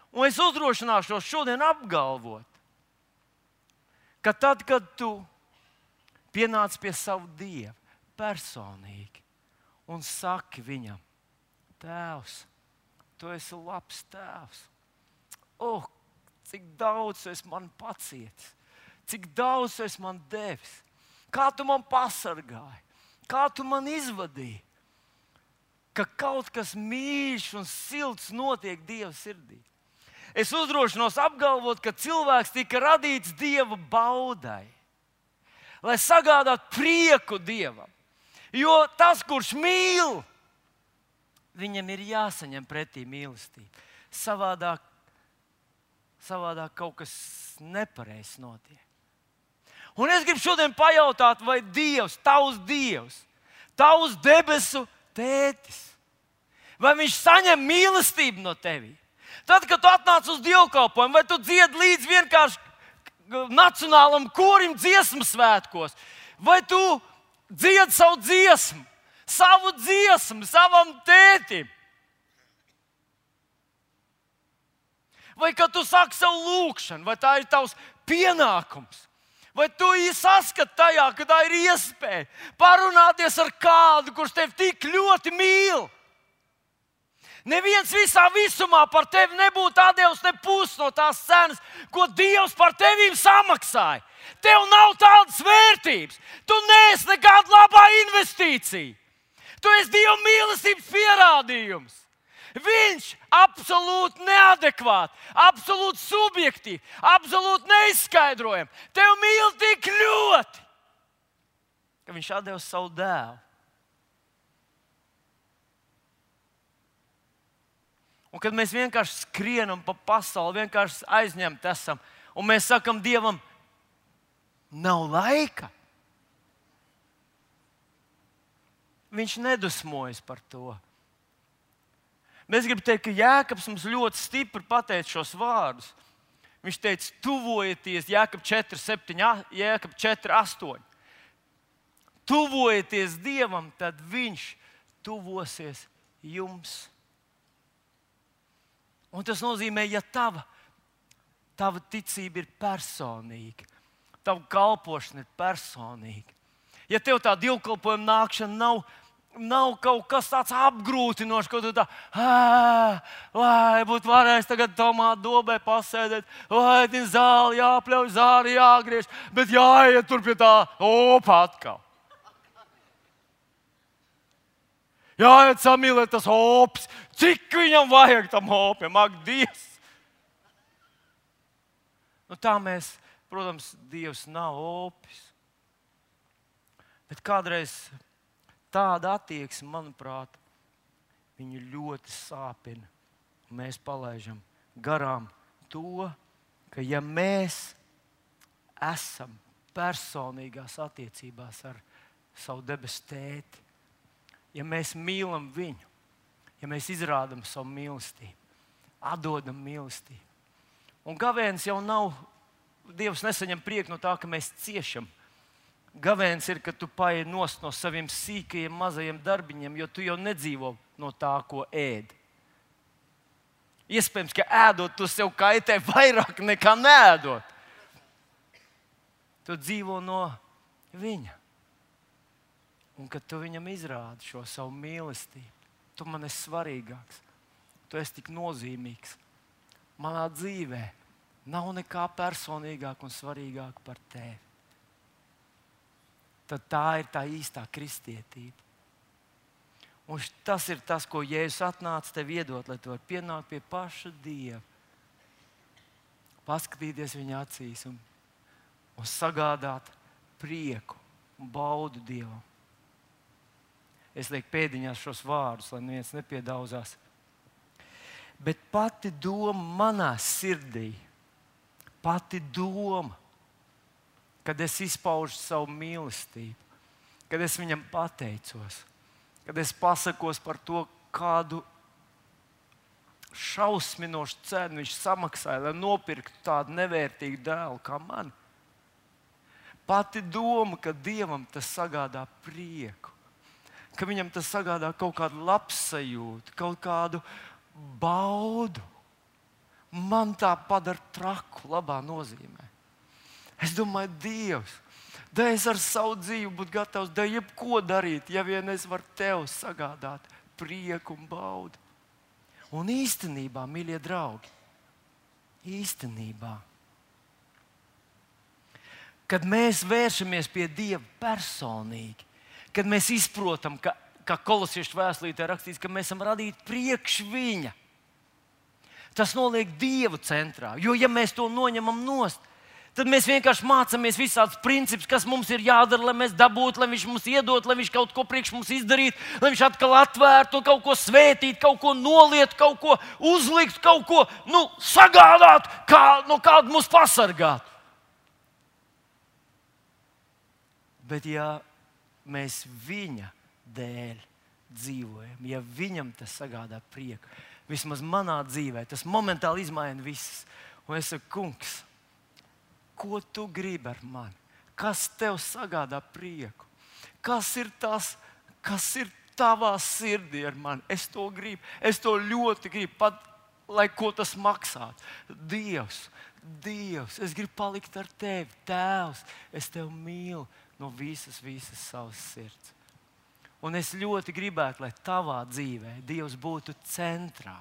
Un es uzdrošināšos šodien apgalvot, ka tad, kad tu pienāc pie sava Dieva personīgi un saki viņam, Tēvs, tu esi labs Tēvs. Cik daudz tu esi man pacietis, cik daudz tu esi man devis, kā tu man pasargāji, kā tu man izvadīji, ka kaut kas mīļš un silts notiek Dieva sirdī. Es uzdrošinos apgalvot, ka cilvēks tika radīts Dieva baudai, lai sagādātu prieku Dievam. Jo tas, kurš mīl, viņam ir jāsaņem pretī mīlestība. Savādāk kaut kas nepareizs notiek. Un es gribu šodien pajautāt, vai Dievs, tavs debesu tētis, vai viņš saņem mīlestību no tevis? Tad, kad tu atnāc uz dievkalpojumu, vai tu dziedi līdz vienkārši nacionālam korim dziesmu svētkos, vai tu dziedi savu dziesmu savam tētim? Vai kad tu saki savu lūgšanu, vai tā ir tavs pienākums? Vai tu saskati tajā, ka tā ir iespēja parunāties ar kādu, kurš tevi tik ļoti mīl? Neviens visā visumā par tevi nebūtu atdevis ne pusi no tās cenas, ko Dievs par tevīm samaksāja. Tev nav tādas vērtības. Tu neesi nekāda labā investīcija. Tu esi Dieva mīlestības pierādījums. Viņš absolūti neadekvāti, absolūti subjektīvi, absolūti neizskaidrojami. Tev mīl tik ļoti, ka viņš atdeva savu dēlu. Un kad mēs vienkārši skrienam pa pasauli, vienkārši aizņemti esam, un mēs sakam Dievam, nav laika, viņš nedusmojas par to. Mēs gribam teikt, ka Jēkabs mums ļoti stipri pateica šos vārdus. Viņš teica, tuvojieties, Jēkab 4:8. Tuvojieties Dievam, tad viņš tuvosies jums. Un tas nozīmē, ja tava ticība ir personīga, tava kalpošana ir personīga. Ja tev tā dievkalpojuma nākšana nav kaut kas tāds apgrūtinošs, ko tu tā, lai būtu varējis tagad tomātu dobē pasēdēt, lai zāli jāpļauj, zāri jāgriež, bet jāiet tur pie tā opa atkal. Jāiet samīlēt tas ops, cik viņam vajag tam opiem, ak, Dievs! Nu tā mēs, protams, Dievs nav opis, bet kādreiz tāda attieksme, manuprāt, viņu ļoti sāpina. Mēs palaidām garām to, ka ja mēs esam personīgās attiecībās ar savu debesu tēti, ja mēs mīlam viņu, ja mēs izrādām savu mīlestību, atdodam mīlestību. Un gavēnis jau nav, Dievs nesaņem prieku no tā, ka mēs ciešam. Gavēnis ir, ka tu paej nost no saviem sīkajiem, mazajiem darbiņiem, jo tu jau nedzīvo no tā, ko ēd. Iespējams, ka ēdot, tu sev kaitē vairāk nekā neēdot. Tu dzīvo no viņa. Un kad tu viņam izrādi šo savu mīlestību, tu man esi svarīgāks, tu esi tik nozīmīgs. Manā dzīvē nav nekā personīgāk un svarīgāk par tevi. Tad tā ir tā īstā kristietība. Un tas ir tas, ko Jēzus atnāca tev iedot, lai tu vari pienākt pie paša Dieva. Paskatīties viņa acīs un sagādāt prieku un baudu Dievam. Es lieku pēdiņās šos vārdus, lai neviens nepiedauzās. Bet pati doma manā sirdī, pati doma, kad es izpaužu savu mīlestību, kad es viņam pateicos, kad es pasakos par to, kādu šausminošu cenu viņš samaksāja, lai nopirktu tādu nevērtīgu dēlu kā man. Pati doma, ka Dievam tas sagādā prieku, ka viņam tas sagādā kaut kādu labsajūtu, kaut kādu baudu, man tā padara traku labā nozīmē. Es domāju, Dievs, da es ar savu dzīvi būtu gatavs da jebko darīt, ja vien es varu tev sagādāt prieku un baudu. Un īstenībā, mīļie draugi, īstenībā, kad mēs vēršamies pie Dieva personīgi, kad mēs izprotam, ka Kolosiešu vēstulītē rakstīts, ka mēs esam radīti priekš viņa, tas noliek Dievu centrā. Jo, ja mēs to noņemam nost, tad mēs vienkārši mācāmies visādus principus, kas mums ir jādara, lai mēs dabūtu, lai viņš mums iedod, lai viņš kaut ko priekš mums izdarītu, lai viņš atkal atvērtu, kaut ko svētītu, kaut ko nolietu, kaut ko uzliktu, kaut ko sagādātu, no kāda mūs pasargātu. Bet ja mēs viņa dēļ dzīvojam, ja viņam tas sagādā prieku, vismaz manā dzīvē, tas momentāli izmaina visas. Un es saku, kungs, ko tu gribi ar mani? Kas tev sagādā prieku? Kas ir tavā sirdī ar mani? Es to gribu, es to ļoti gribu. Pat lai ko tas maksātu. Dievs, es gribu palikt ar tevi, Tēvs, es tevi mīlu no visas savas sirds. Un es ļoti gribētu, lai tavā dzīvē Dievs būtu centrā.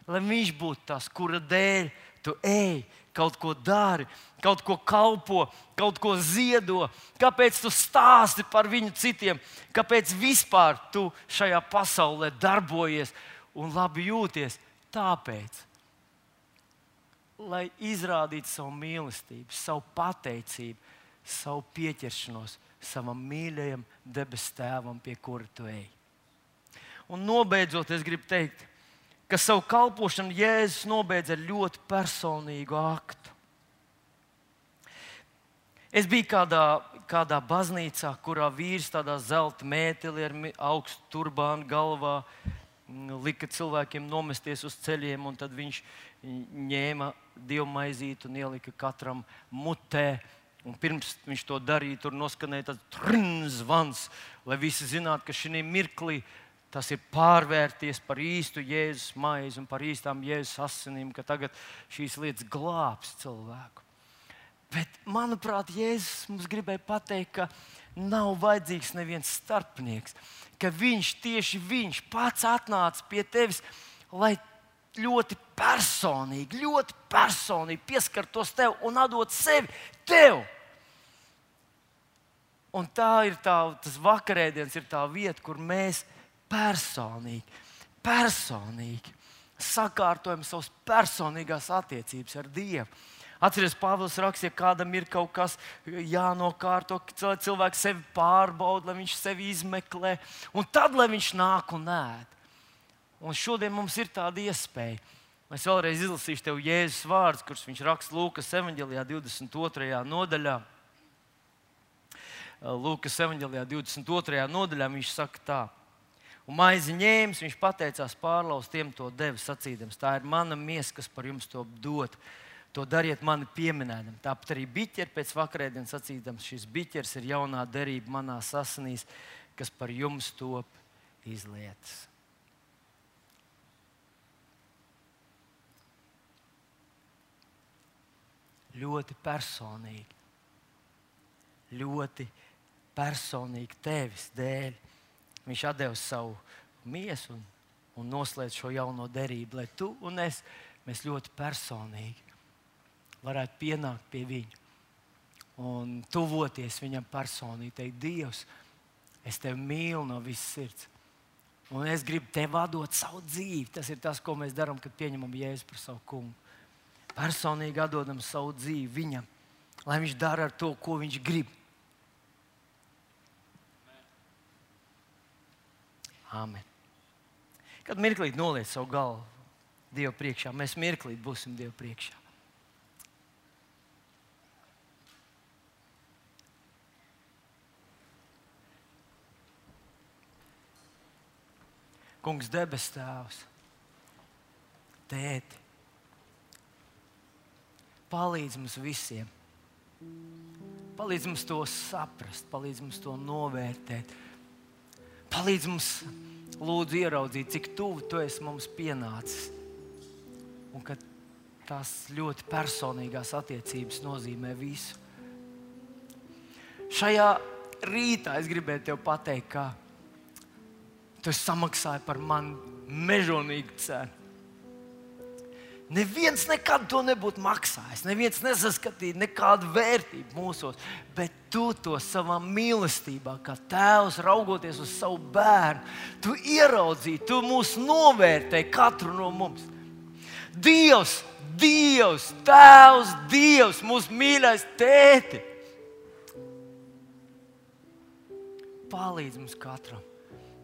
Lai viņš būtu tas, kura dēļ tu ej, kaut ko dari, kaut ko kalpo, kaut ko ziedo. Kāpēc tu stāsti par viņu citiem? Kāpēc vispār tu šajā pasaulē darbojies un labi jūties? Tāpēc, lai izrādītu savu mīlestību, savu pateicību, savu pieķeršanos savam mīļajam debesu Tēvam, pie kura tu ej. Un nobeidzot, es gribu teikt, ka savu kalpošanu Jēzus nobeidz ar ļoti personīgu aktu. Es biju kādā baznīcā, kurā vīrs tādā zelta mētelī ar augstu turbānu galvā lika cilvēkiem nomesties uz ceļiem, un tad viņš ņēma dievmaizīti un ielika katram mutē. Un pirms viņš to darīja, tur noskanēja tāds zvans, lai visi zinātu, ka šī mirklī tas ir pārvērties par īstu Jēzus maizi un par īstām Jēzus asinīm, ka tagad šīs lietas glābs cilvēku. Bet, manuprāt, Jēzus mums gribēja pateikt, ka nav vajadzīgs neviens starpnieks, ka tieši viņš pats atnāca pie tevis, lai ļoti personīgi pieskartos tev un atdot sevi tev. Un tā ir tas vakarēdiens, ir tā vieta, kur mēs personīgi sakārtojam savas personīgās attiecības ar Dievu. Atceries, Pāvils rakstīja, kādam ir kaut kas jānokārto, lai cilvēks sevi pārbauda, lai viņš sevi izmeklē, un tad, lai viņš nāk un ēd. Un šodien mums ir tāda iespēja. Es vēlreiz izlasīšu tev Jēzus vārdus, kurus viņš raksta Lūkas evaņģēlijā 22. nodaļā. Lūkas evaņģēlijā 22. nodaļā viņš saka tā. Un maizi ņēmis, viņš pateicās, pārlauz tiem to deva, sacīdams, tā ir mana miesa, kas par jums to dod. To dariet mani pieminēdam. Tāpat arī biķeri pēc vakarēdienas sacīdams, šis biķers ir jaunā derība manās asinīs, kas par jums top izlietas. Ļoti personīgi tevis dēļ. Viņš atdeva savu miesu un noslēdz šo jauno derību, lai tu un es, mēs ļoti personīgi varētu pienākt pie viņa un tuvoties viņam personīgi, teikt, Dievs, es tevi mīlu no visas sirds. Un es gribu tev atdot savu dzīvi. Tas ir tas, ko mēs darām, kad pieņemam Jēzu par savu kungu. Personīgi atdodam savu dzīvi viņam, lai viņš dara ar to, ko viņš grib. Amen. Kad mirklīt noliec savu galvu Dievu priekšā, mēs mirklīt būsim Dievu priekšā. Kungs, debes Tēvs, Tēti, palīdz mums visiem. Palīdz mums to saprast, palīdz mums to novērtēt. Palīdz mums, lūdzu, ieraudzīt, cik tuvu tu esi mums pienācis. Un ka tās ļoti personīgās attiecības nozīmē visu. Šajā rītā es gribēju tev pateikt, ka tu samaksāji par mani mežonīgu cenu. Neviens nekad to nebūtu maksājis. Neviens nesaskatīja nekādu vērtību mūsos. Bet tu to savā mīlestībā, kā tēvs raugoties uz savu bērnu, tu ieraudzīji, tu mūs novērtēji katru no mums. Dievs, Tēvs, Dievs, mūsu mīļais tēti. Palīdz mums katram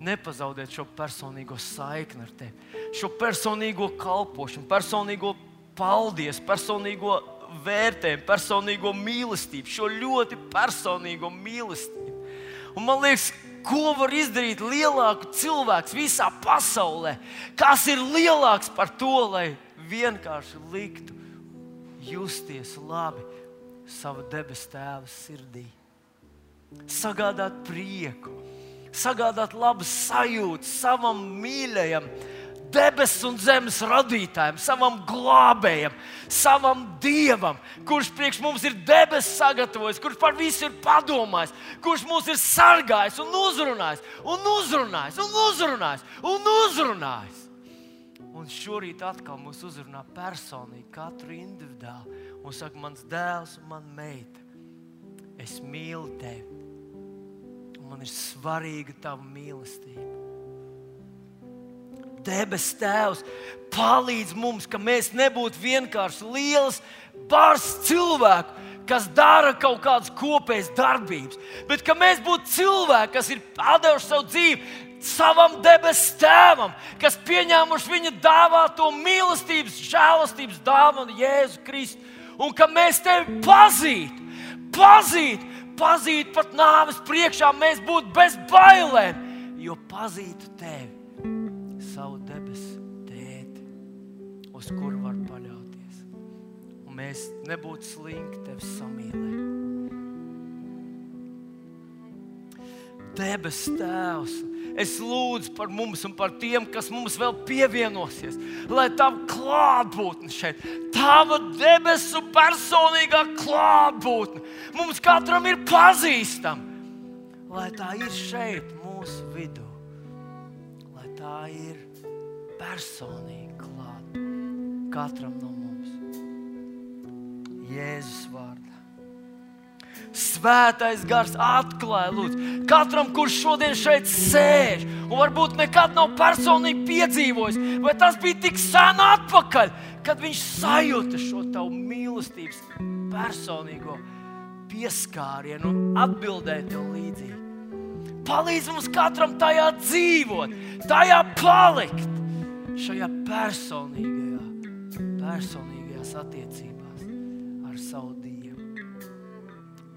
nepazaudēt šo personīgo saikni ar tevi, šo personīgo kalpošanu, personīgo paldies, personīgo vērtējumu, personīgo mīlestību, šo ļoti personīgo mīlestību. Un man liekas, ko var izdarīt lielāku cilvēks visā pasaulē? Kas ir lielāks par to, lai vienkārši liktu justies labi sava debesu Tēva sirdī? Sagādāt prieku, sagādāt labas sajūtas savam mīļajam debesu un zemes radītājam, savam glābējam, savam Dievam, kurš priekš mums ir debesis sagatavojis, kurš par visu ir padomājis, kurš mūs ir sargājis un uzrunājis, un uzrunājis, un uzrunājis, un uzrunājis. Un šorīt atkal mūs uzrunā personīgi, katru individuāli, un saka, mans dēls un man meita, es mīlu tevi, un man ir svarīga tava mīlestība. Debes Tēvs palīdz mums, ka mēs nebūtu vienkārši liels bars cilvēku, kas dara kaut kādas kopējas darbības, bet ka mēs būtu cilvēki, kas ir atdevuši savu dzīvi savam debes Tēvam, kas pieņēmuši viņa dāvāto mīlestības, žēlastības dāvanu Jēzu Kristu, un ka mēs tevi pazītu pat nāves priekšā, mēs būtu bez bailēm, jo pazītu tevi, savu debesu tēti, uz kuru var paļauties. Un mēs nebūtu slinki tevi samīlēt. Debes Tēvs, es lūdzu par mums un par tiem, kas mums vēl pievienosies, lai tava klātbūtne šeit, tava debesu personīgā klātbūtne mums katram ir pazīstama, lai tā ir šeit mūsu vidū, lai tā ir personīgi klāta katram no mums. Jēzus vārdā. Svētais Gars atklāja, lūdzu, katram, kurš šodien šeit sēž un varbūt nekad nav personīgi piedzīvojis, vai tas bija tik sen atpakaļ, kad viņš sajūta šo tavu mīlestības personīgo pieskārienu un atbildēja tev līdzīgi. Palīdz mums katram tajā dzīvot, tajā palikt, šajā personīgajās attiecībās ar savu Dievu.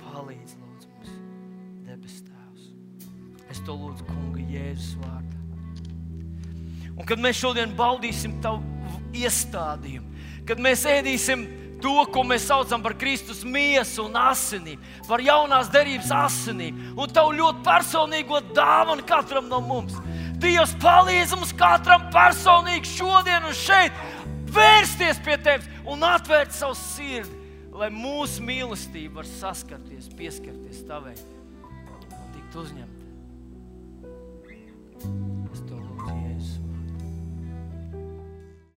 Palīdz, lūdzu, mums, debes Tēvs. Es to lūdzu, Kunga, Jēzus vārdā. Un kad mēs šodien baudīsim tavu iestādījumu, kad mēs ēdīsim to, ko mēs saucam par Kristus miesu un asinīm, par jaunās derības asinīm, un tavu ļoti personīgo dāvanu katram no mums. Dievs, palīdz mums katram personīgi šodien un šeit vērsties pie tevis un atvērt savu sirdi, lai mūsu mīlestība var saskarties, pieskarties tavai un tikt uzņemt